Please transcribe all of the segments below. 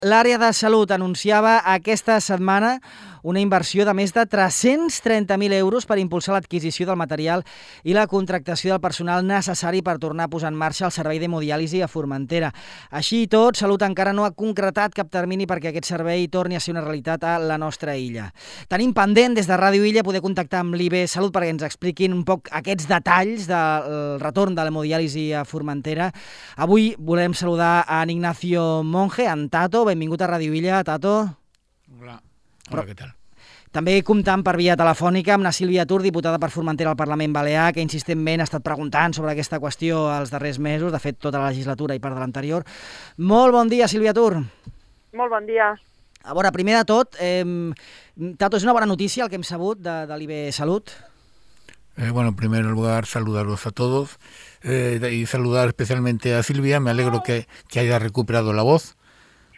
L'àrea de salut anunciava aquesta setmana una inversió de més de 330.000 euros per impulsar l'adquisició del material i la contractació del personal necessari per tornar a posar en marxa el servei d'hemodiàlisi a Formentera. Així i tot, Salut encara no ha concretat cap termini perquè aquest servei torni a ser una realitat a la nostra illa. Tenim pendent des de Ràdio Illa poder contactar amb l'IB Salut perquè ens expliquin un poc aquests detalls del retorn de l'hemodiàlisi a Formentera. Avui volem saludar a Ignacio Monge, en Tato. Benvingut a Ràdio Illa, Tato. Hola, què tal? També comptant per via telefònica amb la Sílvia Tur, diputada per Formentera al Parlament Balear, que insistentment ha estat preguntant sobre aquesta qüestió els darrers mesos, de fet tota la legislatura i part de l'anterior. Molt bon dia, Sílvia Tur. Molt bon dia. A veure, primer de tot, Tato, és una bona notícia el que hem sabut de l'IB Salut? Bueno, en primer lugar, saludarlos a todos y saludar especialmente a Silvia. Me alegro que haya recuperado la voz.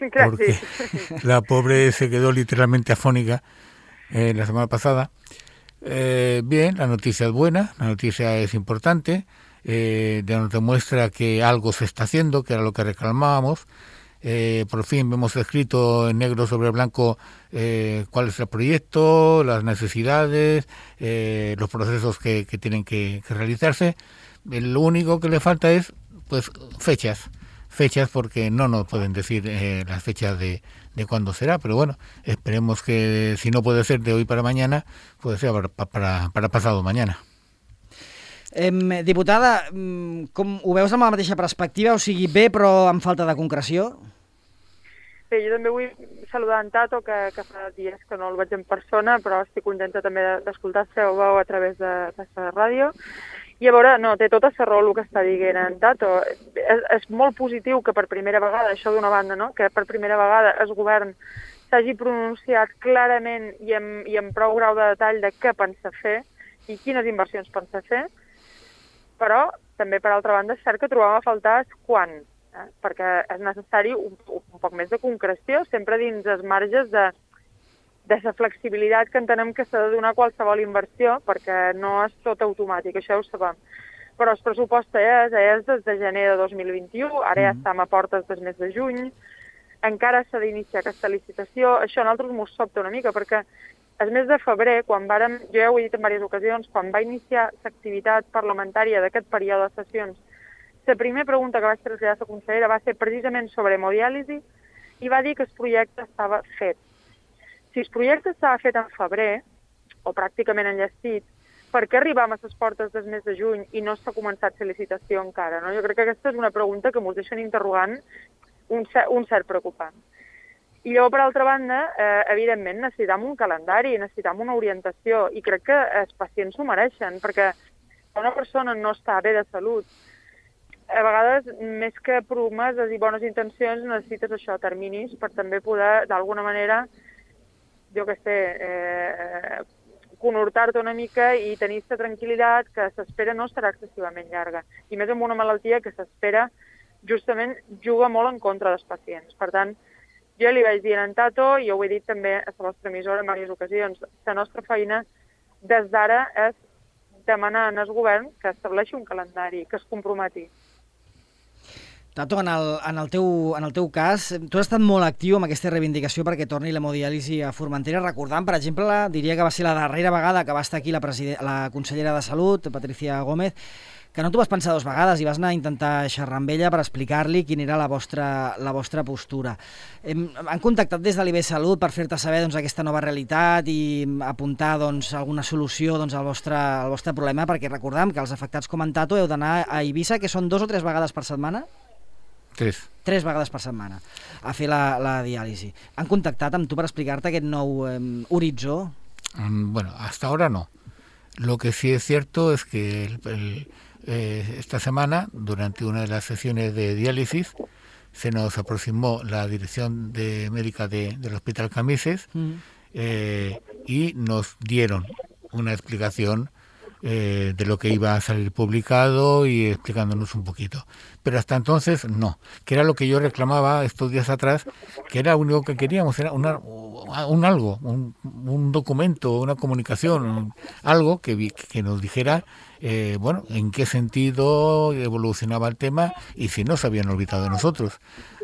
Porque la pobre se quedó literalmente afónica la semana pasada. Bien, la noticia es buena, la noticia es importante, nos demuestra que algo se está haciendo, que era lo que reclamábamos. Por fin vemos escrito en negro sobre blanco cuál es el proyecto, las necesidades, los procesos que tienen que realizarse. Lo único que le falta es pues fechas porque no nos pueden decir las fechas de cuándo será, pero bueno, esperemos que si no puede ser de hoy para mañana, puede ser para pasado mañana. Diputada, com ho veus amb la mateixa perspectiva? O sigui, bé, però amb falta de concreció? Bé, jo també vull saludar en Tato, que fa dies que no el veig en persona, però estic contenta també d'escoltar la seva veu a través de la ràdio. I a veure, no, té tota la raó el que està dient en Tato. És molt positiu que per primera vegada, això d'una banda, no? Que per primera vegada el govern s'hagi pronunciat clarament i amb prou grau de detall de què pensa fer i quines inversions pensa fer, però també, per altra banda, és cert que trobam a faltar quan, perquè és necessari un poc més de concreció, sempre dins els marges de la flexibilitat que entenem que s'ha de donar qualsevol inversió, perquè no és tot automàtic, això ho sabem. Però el pressupost és des de gener de 2021, ara ja estem a portes del mes de juny, encara s'ha d'iniciar aquesta licitació. Això a nosaltres ens sobta una mica, perquè el mes de febrer, jo ja ho he dit en diverses ocasions, quan va iniciar l'activitat parlamentària d'aquest període de sessions, la primera pregunta que vaig traslladar a la consellera va ser precisament sobre hemodiàlisi i va dir que el projecte estava fet. Si el projecte estava fet en febrer, o pràcticament enllestit, per què arribam a les portes del mes de juny i no s'ha començat la licitació encara? No? Jo crec que aquesta és una pregunta que ens deixen interrogant un cert preocupant. I llavors, per altra banda, evidentment, necessitam un calendari, necessitam una orientació, i crec que els pacients s'ho mereixen, perquè quan una persona no està bé de salut, a vegades, més que promeses i bones intencions, necessites això, terminis, per també poder, d'alguna manera, jo què sé, conhortar-te una mica i tenir la tranquil·litat que s'espera no serà excessivament llarga. I més amb una malaltia que s'espera justament juga molt en contra dels pacients. Per tant, jo li vaig dir en Tato, i ho he dit també a la vostra emissora en diverses ocasions, la nostra feina des d'ara és demanar al govern que estableixi un calendari, que es comprometi. Tato, en el teu cas, tu has estat molt actiu amb aquesta reivindicació perquè torni l'hemodiàlisi a Formentera, recordant, per exemple, diria que va ser la darrera vegada que va estar aquí la consellera de Salut, Patricia Gómez, que no t'ho vas pensar dues vegades i vas anar a intentar xerrar amb ella per explicar-li quina era la vostra postura. Han contactat des de l'IB Salut per fer-te saber aquesta nova realitat i apuntar alguna solució al vostre problema, perquè recordem que els afectats com en Tato heu d'anar a Eivissa, que són 2 o 3 vegades per setmana? 3 vegades per setmana a fer la diàlisi. Han contactat amb tu per explicar-te aquest nou horitzó? Bueno, hasta ahora no. Lo que sí es cierto es que esta semana, durante una de las sesiones de diálisis, se nos aproximó la dirección médica del Hospital Camises y nos dieron una explicación de lo que iba a salir publicado y explicándonos un poquito. Pero hasta entonces no, que era lo que yo reclamaba estos días atrás, que era lo único que queríamos, era un documento, una comunicación, algo que nos dijera en qué sentido evolucionaba el tema y si no se habían olvidado de nosotros.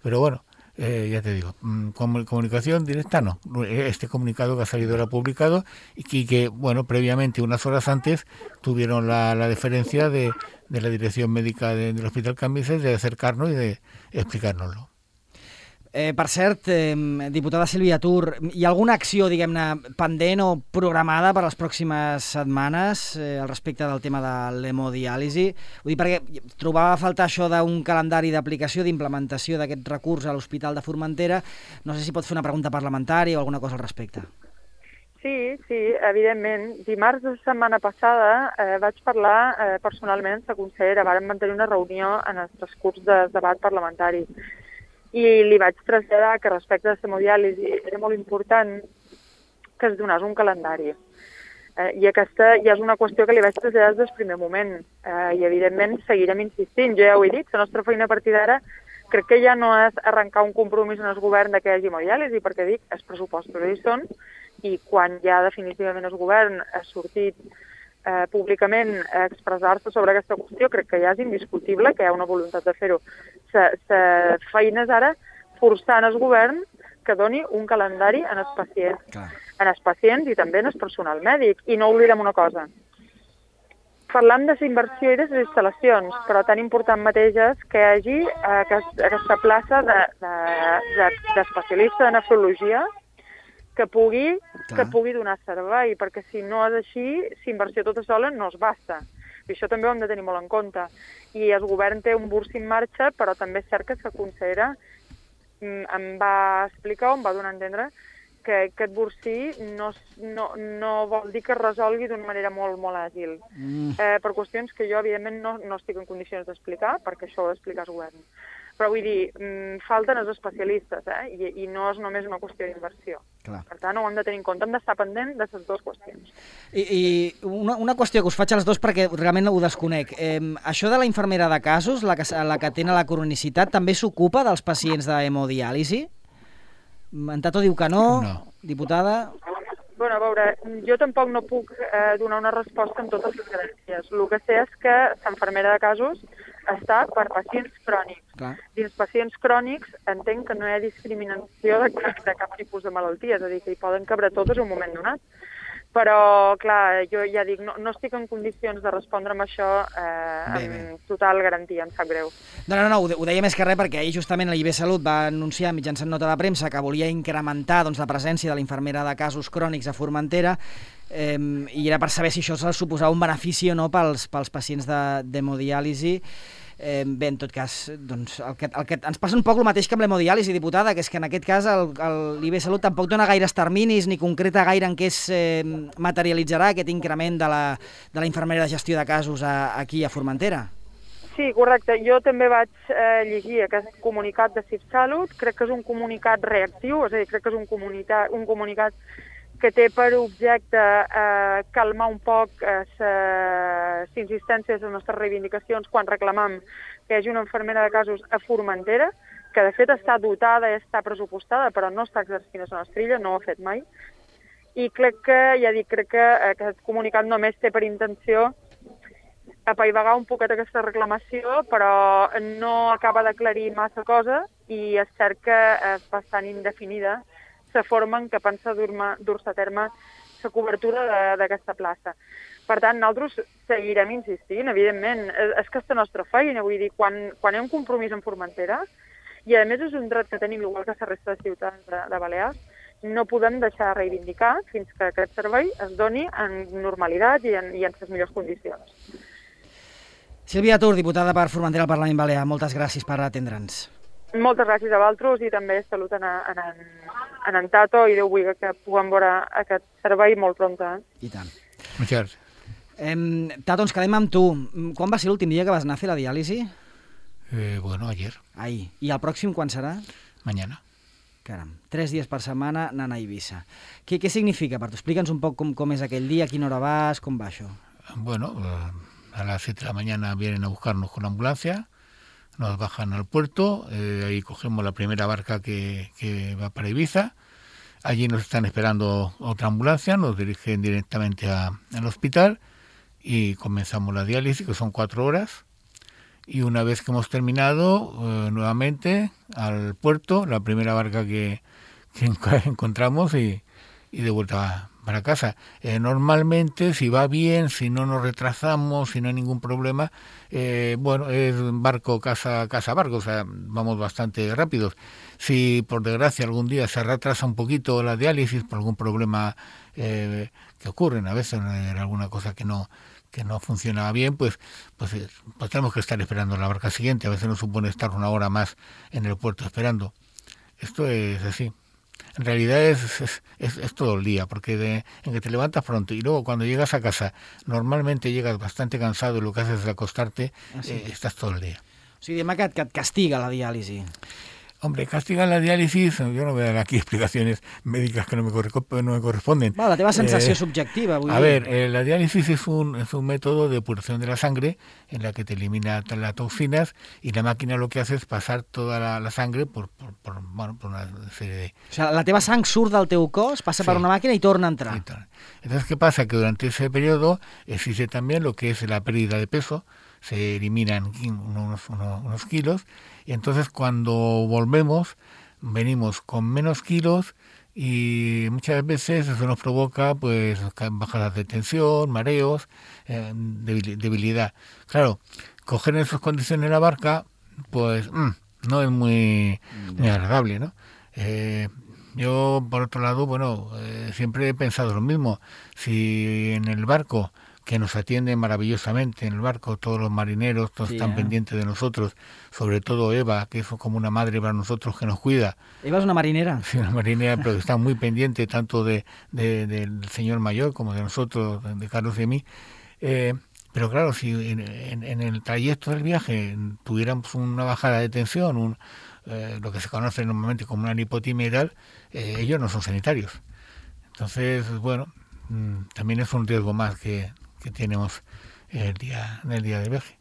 Pero bueno, ya te digo, comunicación directa no. Este comunicado que ha salido era publicado y que, bueno, previamente, unas horas antes, tuvieron la deferencia de la dirección médica del Hospital Cambises de acercarnos y de explicárnoslo. Per cert, diputada Sílvia Tur, hi ha alguna acció, diguem-ne, pendent o programada per les pròximes setmanes al respecte del tema de l'hemodiàlisi? Vull dir, perquè trobava a faltar això d'un calendari d'aplicació, d'implementació d'aquest recurs a l'Hospital de Formentera. No sé si pot fer una pregunta parlamentària o alguna cosa al respecte. Sí, evidentment. Dimarts de la setmana passada vaig parlar personalment amb la consellera. Vàrem mantenir una reunió en el transcurs del debat parlamentari. I li vaig traslladar que respecte a l'hemodiàlisi era molt important que es donés un calendari. I aquesta ja és una qüestió que li vaig traslladar des del primer moment. I, evidentment, seguirem insistint. Jo ja ho he dit, la nostra feina a partir d'ara crec que ja no és arrencar un compromís en el govern de que hi hagi hemodiàlisi, perquè dic, els pressupostos hi són, i quan ja definitivament el govern ha sortit públicament a expressar-se sobre aquesta qüestió, crec que ja és indiscutible que hi ha una voluntat de fer-ho. La feina és ara forçant el govern que doni un calendari en els pacients. Clar. En els pacients i també en el personal mèdic. I no oblidem una cosa. Parlam de la inversió i de les instal·lacions, però tan important mateix és que hi hagi aquesta plaça d'especialista de nefrologia que pugui donar servei, perquè si no és així, la inversió tota sola no es basta. I això també ho hem de tenir molt en compte. I el govern té un burs en marxa, però també és cert que la consellera em va explicar, em va donar a entendre, que aquest bursí no vol dir que es resolgui d'una manera molt, molt àgil. Per qüestions que jo, evidentment, no estic en condicions d'explicar, perquè això ho ha d'explicar el govern. Però vull dir, falten els especialistes, i no és només una qüestió d'inversió. Per tant, ho hem de tenir en compte, hem d'estar pendent de les dues qüestions. I una qüestió que us faig als dos perquè realment ho desconec. Això de la infermera de casos, la que atén a la cronicitat, també s'ocupa dels pacients d'hemodiàlisi? En Tato diu que no. Diputada? Bueno, a veure, jo tampoc no puc donar una resposta amb totes les garanties. El que sé és que l'infermera de casos està per pacients crònics. Clar. Dins pacients crònics entenc que no hi ha discriminació de cap tipus de malaltia, és a dir, que hi poden cabre totes en un moment donat. Però, clar, jo ja dic, no estic en condicions de respondre amb això amb total garantia, em sap greu. No, ho deia més que res perquè ahir justament l'IB Salut va anunciar mitjançant nota de premsa que volia incrementar la presència de la infermera de casos crònics a Formentera i era per saber si això suposava un benefici o no pels pacients d'hemodiàlisi. Bé, en tot cas, doncs, el que ens passa un poc el mateix que amb l'hemodiàlisi, diputada, que és que en aquest cas l'IB Salut tampoc dona gaires terminis ni concreta gaire en què es materialitzarà aquest increment de la infermera de gestió de casos aquí a Formentera. Sí, correcte. Jo també vaig llegir aquest comunicat de CIVSalut. Crec que és un comunicat reactiu, és a dir, crec que és un comunicat que té per objecte calmar un poc les insistències de les nostres reivindicacions quan reclamam que hi hagi una infermera de casos a Formentera, que de fet està dotada i està pressupostada, però no està exercint la nostra illa, no ho ha fet mai. I crec que aquest comunicat només té per intenció apaivagar un poquet aquesta reclamació, però no acaba d'aclarir massa cosa i és cert que és bastant indefinida la forma en què pensa dur-se a terme la cobertura d'aquesta plaça. Per tant, nosaltres seguirem insistint, evidentment. És que és la nostra feina, vull dir, quan hi ha un compromís en Formentera, i a més és un dret que tenim igual que la resta de ciutats de Balears, no podem deixar de reivindicar fins que aquest servei es doni en normalitat i en les millors condicions. Sílvia Tur, diputada per Formentera al Parlament Balear, moltes gràcies per atendre'ns. Moltes gràcies a vosaltres i també salut en Tato i Déu vulgui que puguem veure aquest servei molt prompte. I tant. Muchas gracias. Tato, ens quedem amb tu. Quan va ser l'últim dia que vas anar a fer la diàlisi? Bueno, ayer. Ahir. I el pròxim quan serà? Mañana. Caram, 3 dies per setmana anant a Eivissa. Què significa per tu? Explica'ns un poc com és aquell dia, a quina hora vas, com va això? Bueno, a las 7 de la mañana vienen a buscarnos con la ambulancia. Nos bajan al puerto, ahí cogemos la primera barca que va para Ibiza. Allí nos están esperando otra ambulancia, nos dirigen directamente al hospital y comenzamos la diálisis, que son 4 horas. y una vez que hemos terminado, nuevamente al puerto, la primera barca que encontramos y de vuelta para casa. Normalmente, si va bien, si no nos retrasamos, si no hay ningún problema, bueno, es barco, casa, barco, o sea, vamos bastante rápidos. Si por desgracia algún día se retrasa un poquito la diálisis por algún problema que ocurren, a veces alguna cosa que no funciona bien, pues tenemos que estar esperando la barca siguiente. A veces nos supone estar una hora más en el puerto esperando. Esto es así. En realidad es todo el día, porque en que te levantas pronto y luego cuando llegas a casa, normalmente llegas bastante cansado y lo que haces es acostarte, estás todo el día. O sigui, diguem que et castiga la diàlisi. Hombre, castiga la diálisis, yo no voy a dar aquí explicaciones médicas que no me corresponden. Bueno, la teva sensació subjectiva, vull dir. A ver, la diálisis es un método de depuración de la sangre en la que te elimina las toxinas y la máquina lo que hace es pasar toda la sangre por una serie de... O sea, la teva sang surt del teu cos, passa per una màquina i torna a entrar. Entonces, ¿qué pasa? Que durante ese periodo existe también lo que es la pérdida de peso, se eliminan unos kilos, y entonces cuando volvemos, venimos con menos kilos y muchas veces eso nos provoca pues bajadas de tensión, mareos, debilidad. Claro, coger en esas condiciones la barca, pues no es muy agradable, ¿no? Yo, por otro lado, bueno, siempre he pensado lo mismo. Si en el barco, que nos atienden maravillosamente en el barco, todos los marineros, todos están pendientes de nosotros, sobre todo Eva, que es como una madre para nosotros que nos cuida. ¿Eva es una marinera? Sí, una marinera, pero que está muy pendiente tanto del señor mayor como de nosotros, de Carlos y de mí. Pero claro, si en el trayecto del viaje tuviéramos una bajada de tensión, lo que se conoce normalmente como una lipotimia y tal, ellos no son sanitarios. Entonces, bueno, también es un riesgo más que tenemos en el día de viaje.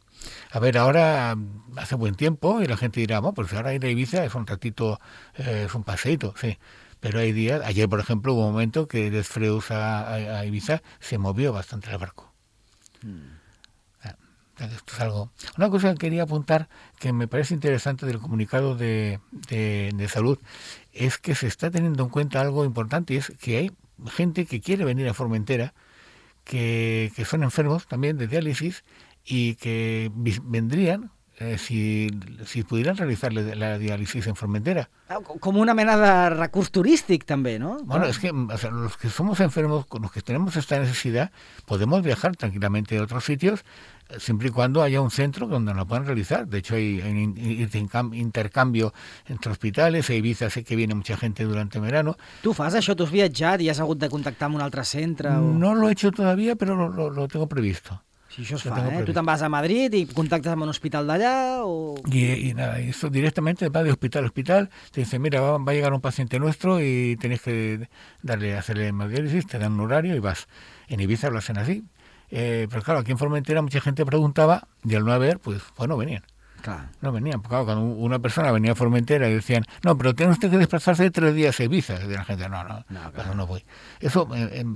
A ver, ahora hace buen tiempo y la gente dirá, bueno, pues ahora ir a Ibiza es un ratito, es un paseíto, sí. Pero hay días, ayer por ejemplo hubo un momento que de Freus a Ibiza se movió bastante el barco. Esto es algo. Una cosa que quería apuntar que me parece interesante del comunicado de salud es que se está teniendo en cuenta algo importante, y es que hay gente que quiere venir a Formentera, que son enfermos también de diálisis y que vendrían si pudieran realizar la diálisis en Formentera. Com una mena de recurs turístic també, no? Bueno, es que los que somos enfermos, con los que tenemos esta necesidad, podemos viajar tranquilamente a otros sitios siempre y cuando haya un centro donde lo puedan realizar. De hecho, hay intercambio entre hospitales. A Ibiza sé que viene mucha gente durante verano. Tu fas això? Tu has viatjat i has hagut de contactar amb un altre centre? O... No lo he hecho todavía, pero lo tengo previsto. Si això es fa, Tu te'n vas a Madrid y contactas amb un hospital d'allà o... Y nada, eso directamente va de hospital a hospital. Te dice, mira, va a llegar un paciente nuestro y tenéis que hacerle hemodiálisis, te dan un horario y vas. En Ibiza lo hacen así. Pero claro, aquí en Formentera mucha gente preguntaba y al no haber, pues no venían. Claro. No venían, porque claro, cuando una persona venía a Formentera y decían, no, pero tiene usted que desplazarse 3 días a Ibiza. Y la gente, no, claro. No voy. Eso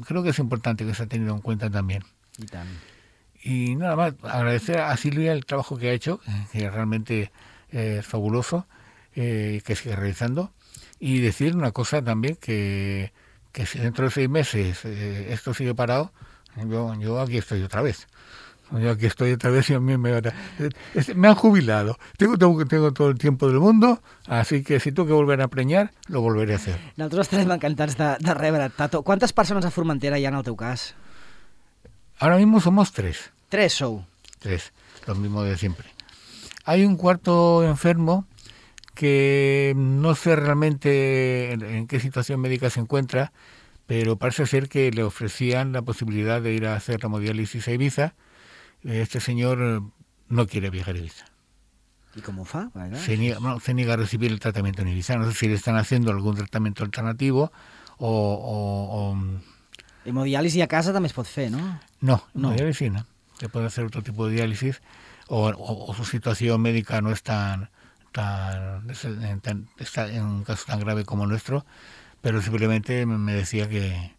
creo que es importante que se ha tenido en cuenta también. Y también. Y nada más, agradecer a Silvia el trabajo que ha hecho, que realmente es fabuloso, que sigue realizando, y decir una cosa también, que si dentro de 6 meses esto sigue parado, yo aquí estoy otra vez. Yo aquí estoy otra vez y a mí me han jubilado. Tengo todo el tiempo del mundo, así que si tengo que volver a preñar, lo volveré a hacer. Nosaltres estarem encantats de rebre't, Tato. Quantes persones a Formentera hi ha en el teu cas? Ahora mismo somos 3. 3 sou. 3, lo mismo de siempre. Hay un cuarto enfermo que no sé realmente en qué situación médica se encuentra, pero parece ser que le ofrecían la posibilidad de ir a hacer hemodiálisis a Ibiza. Este señor no quiere viajar a Ibiza. ¿Y cómo fa? Se niega a recibir el tratamiento en Ibiza. No sé si le están haciendo algún tratamiento alternativo o hemodiàlisi a casa també es pot fer, ¿no? No, hemodiálisis no. Se puede hacer otro tipo de diálisis o su situación médica no es está en un caso tan grave como el nuestro, pero simplemente me decía que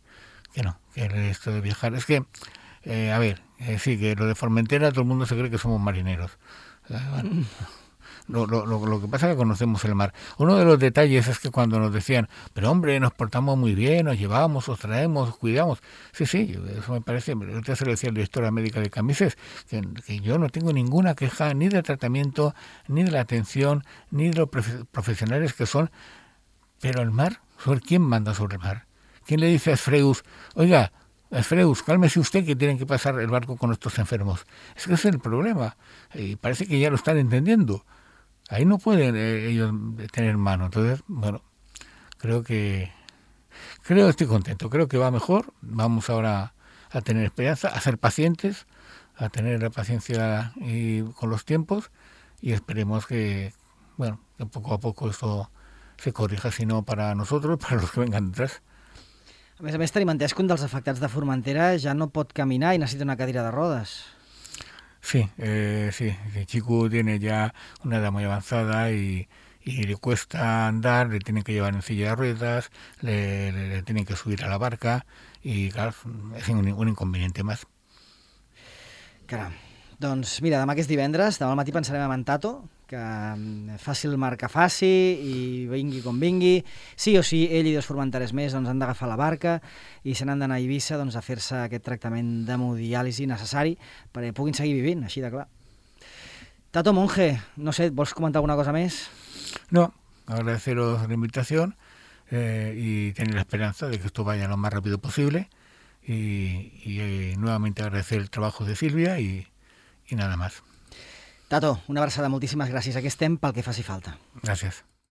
no, que esto de viajar... Es que, sí, que lo de Formentera todo el mundo se cree que somos marineros. Bueno, lo que pasa es que conocemos el mar. Uno de los detalles es que cuando nos decían, pero hombre, nos portamos muy bien, nos llevamos, os traemos, os cuidamos. Sí, eso me parece. Yo se lo decía el director médica de Camises, que yo no tengo ninguna queja ni del tratamiento, ni de la atención, ni de los profesionales que son. Pero el mar, ¿sobre quién manda sobre el mar? ¿Quién le dice a Asfreus, oiga, Asfreus, cálmese usted que tienen que pasar el barco con estos enfermos? Es que ese es el problema. Y parece que ya lo están entendiendo. Ahí no pueden ellos tener mano. Entonces, bueno, estoy contento. Creo que va mejor. Vamos ahora a tener esperanza, a ser pacientes, a tener la paciencia con los tiempos y esperemos que poco a poco esto se corrija, si no para nosotros, para los que vengan detrás. A més, tenim entès que un dels afectats de Formentera ja no pot caminar i necessita una cadira de rodes. Sí, el chico tiene ya una edad muy avanzada y le cuesta andar, le tienen que llevar en silla de ruedas, le tienen que subir a la barca y claro, es un inconveniente más. Caram. Doncs mira, demà que és divendres, demà al matí pensarem en Tato, que faci el mar que faci i vingui com vingui. Sí o sí, ell i 2 formenteres més han d'agafar la barca i se n'han d'anar a Eivissa a fer-se aquest tractament d'hemodiàlisi necessari perquè puguin seguir vivint, així de clar. Tato Monge, no sé, ¿vols comentar alguna cosa més? No, agradeceros la invitación y tener la esperanza de que esto vaya lo más rápido posible y nuevamente agradecer el trabajo de Silvia y nada más. Tato, una abraçada, moltíssimes gràcies. Aquí estem pel que faci falta. Gràcies.